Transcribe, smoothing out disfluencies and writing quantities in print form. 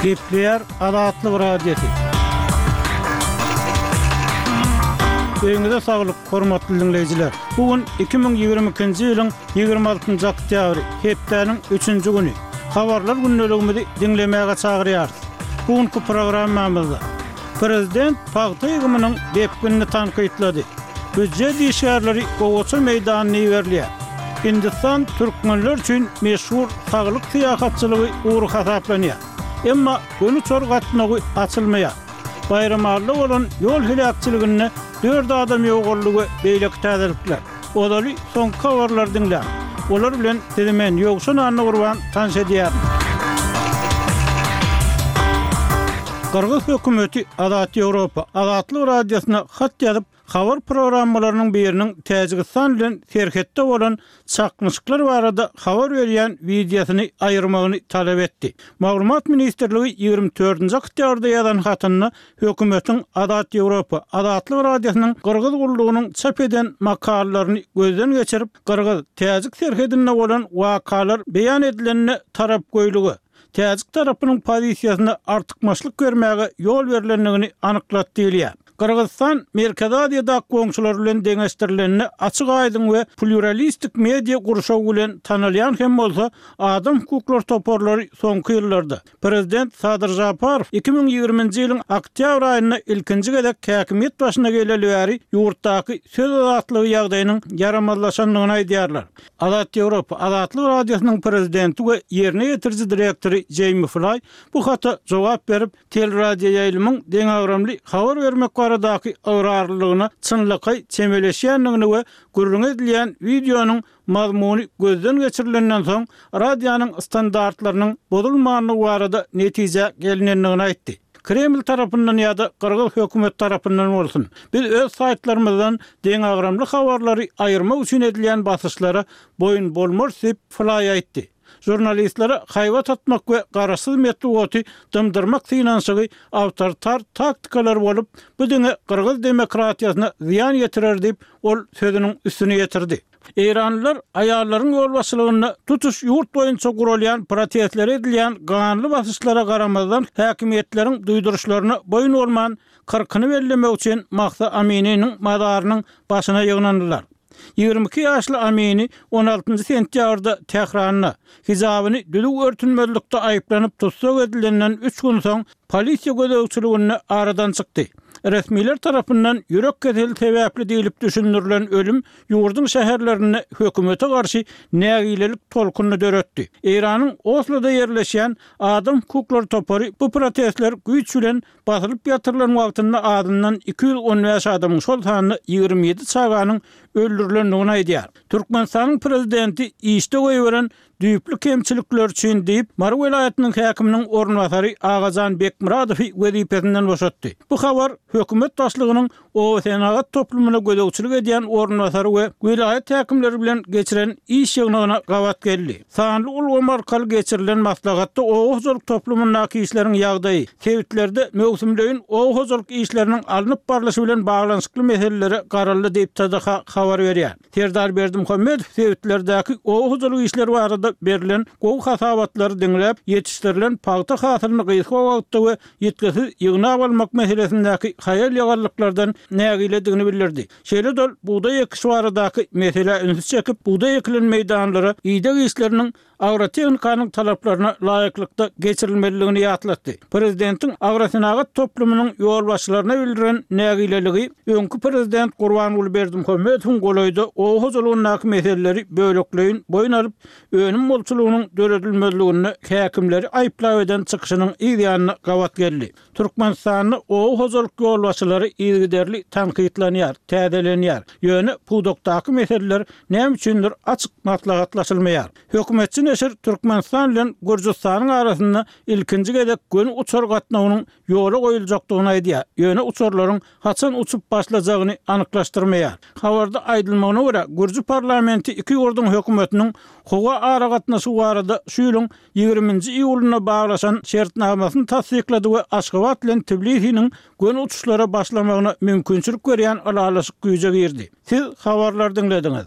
Gepleýär Azatlyk Radiosy. Öýüňize saglyk, hormatly diňleýjiler! Bu gün 2022-nji ýylyň 26-njy oktýabry, hepdäniň üçünji güni. Habarlar gündeligimizi diňlemäge çagyrýarys. Bu günki programmamyzda Prezident pagta ýygymynyň depginini tankytlady. Býujet işgärleri gowaça meýdanyna iberilýär. Hindistan türkmenler üçin meşhur saglyk syýahatçylygy ugry hasaplanýar. Emma göni uçar gatnawy açylmaýar. Baýramalyda bolan ýol heläkçiliginde dört adam ýogaldy we beýleki täzelikler. Ozaly soňky habarlary diňläň. Olar bilen sizi men, Ýowşan Annagurban tanyş edýärin. Gyrgyz hökümeti Azat Ýewropa, Azatlyk Radiosyna hat ýazyp, habar programmalarynyň biriniň Täjigistan bilen serhetde bolan çaknyşyklar barada habar berýän wideosyny aýyrmagyny talap etdi. Maglumat ministrligi 24-nji oktýabrda ýazan hatynda Hökümetiň Azat Ýewropa, Azatlyk Radiosynyň Gyrgyz gullugynyň çap eden makalalaryny gözden geçirip, gyrgyz, täjik serhedinde bolan wakalar beýan edilende tarapgöýlüge, täjik tarapynyň pozisiýasyna artykmaçlyk bermäge ýol berlendigini anyklady diýilýär. Gyrgyzystan Merkezi Aziýadaky goňşulary bilen deňeşdirilende açyk-aýdyň we plýuralistik media gurşawy bilen tanalýan hem bolsa, adam hukuklary toparlary soňky ýyllarda, Prezident Sadyr Žaparow 2020-nji ýylyň oktýabr aýynda ilkinji gezek häkimiýet başyna geleli bäri ýurtdaky söz azatlygy ýagdaýynyň ýaramazlaşandygyny aýdýarlar. Azat Ýewropa, Azatlyk Radiosynyň prezidenti we ýerine ýetiriji direktory Jeými Flaý bu hata jogap berip, teleradioýaýlymyň deňagramly habar bermek baradaky ygrarlylygyna çynlakaý çemeleşýändigini we gürrüňi edilýän wideonyň Mazmuny gözden geçirilenden soň, radionyň standartlarynyň bozulmandygy barada netijä gelinendigini aýtdy. Kreml tarapyndan ýa-da gyrgyz hökümeti tarapyndan bolsun, biz öz saýtlarymyzdan deňagramly habarlary aýyrmak üçin edilýän basyşlara boýun bolmarys diýip, Flaý aýtdy. Žurnalistlere haýbat atmak we garaşsyz metbugaty dymdyrmak synanyşygy awtoritar taktikalar bolup, bu diňe gyrgyz demokratiýasyna zyýan ýetirer diýip, ol sözüniň üstüni ýetirdi. Eýranlylar aýallaryň ýolbaşçylygynda tutuş ýurt boýunça guralýan protestlere edilýän ganly basyşlara garamazdan häkimiýetleriň duýduryşlaryna boýun bolman, kyrkyny bellemek üçin Mahsa Amininiň mazarynyň başyna ýygnandylar. 22 ýaşly Amini on altynjy sentýabrda Tähranda, hijabyny düzüw örtünmezlikde aýyplanyp tussag edilenden üç gün soň polisiýa gözegçiliginde aradan çykdy. Resmiler tarapyndan ýürek keseli sebäpli diýlip düşündirilen ölüm ýurduň şäherlerinde hökümete garşy nägilelik tolkunyny döretdi. Eýranyň Osloda ýerleşýän Adam hukuklary topary bu protestler güýç bilen basylyp ýatyrylan wagtynda azyndan 215 adamyň, şol sanda 27 çaganyň öldürilendigini aýdýar. Türkmenistanyň prezidenti işde goýberen düýpli kemçilikler üçin diýip, Mary welaýatynyň häkiminiň orunbasary Agajan Bekmyradowy wezipesinden boşatdy. Bu habar hökümet başlygynyň obasenagat toplumyna gözegçilik edýän orunbasary we welaýat häkimleri bilen geçiren iş ýygnagyna gabat geldi. Sanly ulgam arkaly geçirilen maslahatda oba hojalyk toplumyndaky işleriň ýagdaýy, sebitlerde möwsümleýin oba hojalyk işleriniň alnyp barlyşy bilen baglanyşykly meselelere garaldy diýip, TDH habar berýär. Serdar Berdimuhamedow sebitlerdäki oba hojalyk işleri barada berlen gowy hasabatlary diňläp, ýetişdirilen pagta hasylyny gysga wagtda we ýitgisiz ýygnap almak meselesindäki haýal-ýagallyklardan nägiledigini bildirdi. Şeýle-de ol bugdaý ekişi baradaky meselä ünsi çekip, bugdaý ekilen meýdanlara ideg işleriniň agrotehnikanyň talaplaryna laýyklykda geçirilmelidigini ýatlatdy. Prezidentiň agrosenagat toplumynyň ýolbaşçylaryna bildiren nägileligi öňki prezident Gurbanguly Berdimuhamedowyň golaýda oba hojalygyndaky meseleleri bölekleýin boýun alyp, önüm bolçulygynyň döredilmezliginde häkimleri aýyplap eden çykyşynyň yz ýanyna gabat geldi. Türkmenistanda oba hojalyk ýolbaşçylary yzygiderli tankytlanýar, täzelenýär. Ýöne pudakdaky meseleler näme üçindir açyk maslahatlaşylmaýar. Hökümetçi neşir Türkmenistan bilen Gürjüstanyň arasynda ilkinji gezek göni uçar gatnawynyň ýola goýuljakdygyny aýdýar, ýöne uçarlaryň haçan uçup başlajagyny anyklaşdyrmaýar. Habarda aýdylmagyna görä, gürji parlamenti iki ýurduň hökümetiniň howa aragatnaşygy barada şu ýylyň ýigriminji iýulynda baglaşan şertnamasyny tassyklady we Aşgabat bilen Tbilisiniň göni uçuşlara başlamagyna mümkinçilik berýän ylalaşyk güýje girdi. Siz habarlary diňlediňiz.